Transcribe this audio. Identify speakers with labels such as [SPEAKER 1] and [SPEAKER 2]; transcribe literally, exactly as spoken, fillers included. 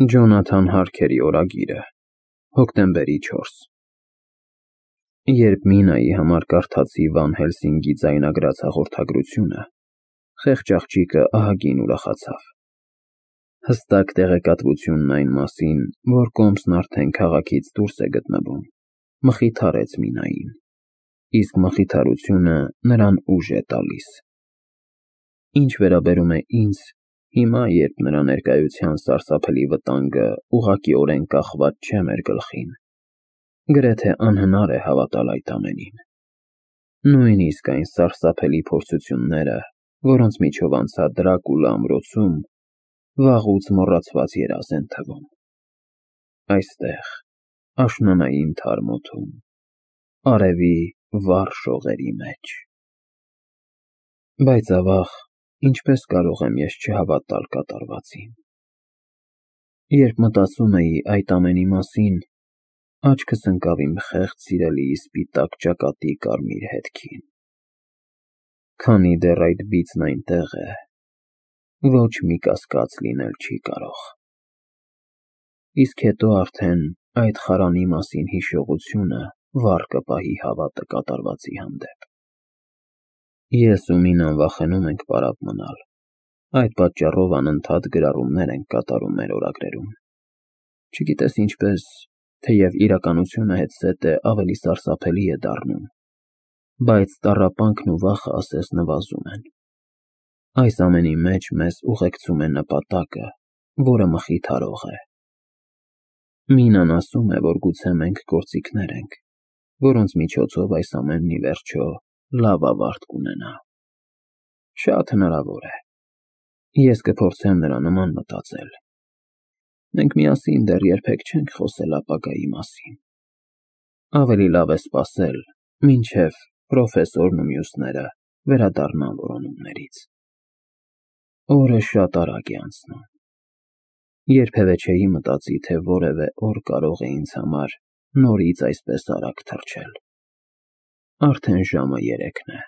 [SPEAKER 1] Ջոնաթան Հարքերի օրագիրը, հոկտեմբերի չորս Երբ Մինայի համար կարդացի Վան Հելսինգի ձայնագրած հաղորդագրությունը, խեղճ աղջիկը ահագին ուրախացավ։ Հստակ տեղեկատվությունն այն մասին, որ կոմսն արդեն քաղաքից դուրս է գտնվում, մխիթարեց Մինային, իսկ մխիթարությունը նրան ուժ է տալիս։ Ինչ վերաբերում է ինձ, հիմա, երբ նրա ներկայության սարսափելի վտանգը ուղղակիորեն կախված չէ մեր գլխին, գրեթե անհնար է հավատալ այդ ամենին։ Նույնիսկ այն սարսափելի փորձությունները, որոնց միջով անցա Դրակուլա ամրոցում, վաղուց մոռացված երազ են թվում։ Այստեղ, աշնանային թարմ օդում, արևի վառ շողերի մեջ։ Բայց ավաղ, ինչպես կարող եմ ես չհավատալ կատարվածին։ Երբ մտածում էի այդ ամենի մասին, աչքս ընկավ իմ խեղճ սիրելիի սպիտակ ճակատի կարմիր հետքին։ Քանի դեռ այդ բիծն այնտեղ է, ոչ մի կասկած լինել չի կարող։ Իսկ հետո արդեն այդ խարանի մասին հիշողությունը վառ կպահի հավատը կատարվածի հանդեպ։ Ես ու Մինան վախենում ենք պարապ մնալ, այդ պատճառով անընդհատ գրառումներ ենք կատարում մեր օրագրերում։ Չգիտես ինչպես, թեև իրականությունը հետզհետե ավելի սարսափելի է դառնում, բայց տառապանքն ու վախը ասես նվազում են։ Այս ամենի մեջ մեզ ուղեկցում է նպատակը, որը մխիթարող է։ Մինան ասում է, որ գուցե մենք գործիքներ ենք, որոնց միջոցով այս ամենն ի վերջո լավ ավարտ կունենա։ Շատ հնարավոր է։ Ես կփորձեմ նրա նման մտածել։ Մենք միասին դեռ երբեք չենք խոսել ապագայի մասին։ Ավելի լավ է սպասել, մինչև պրոֆեսորն ու մյուսները վերադառնան որոնումներից։ Օրը շատ արագ է անցնում։ Երբևէ չէի մտածի, թե որևէ օր կարող է ինձ համար նորից այսպես արագ թռչել։ Արդեն ժամը երեքն է։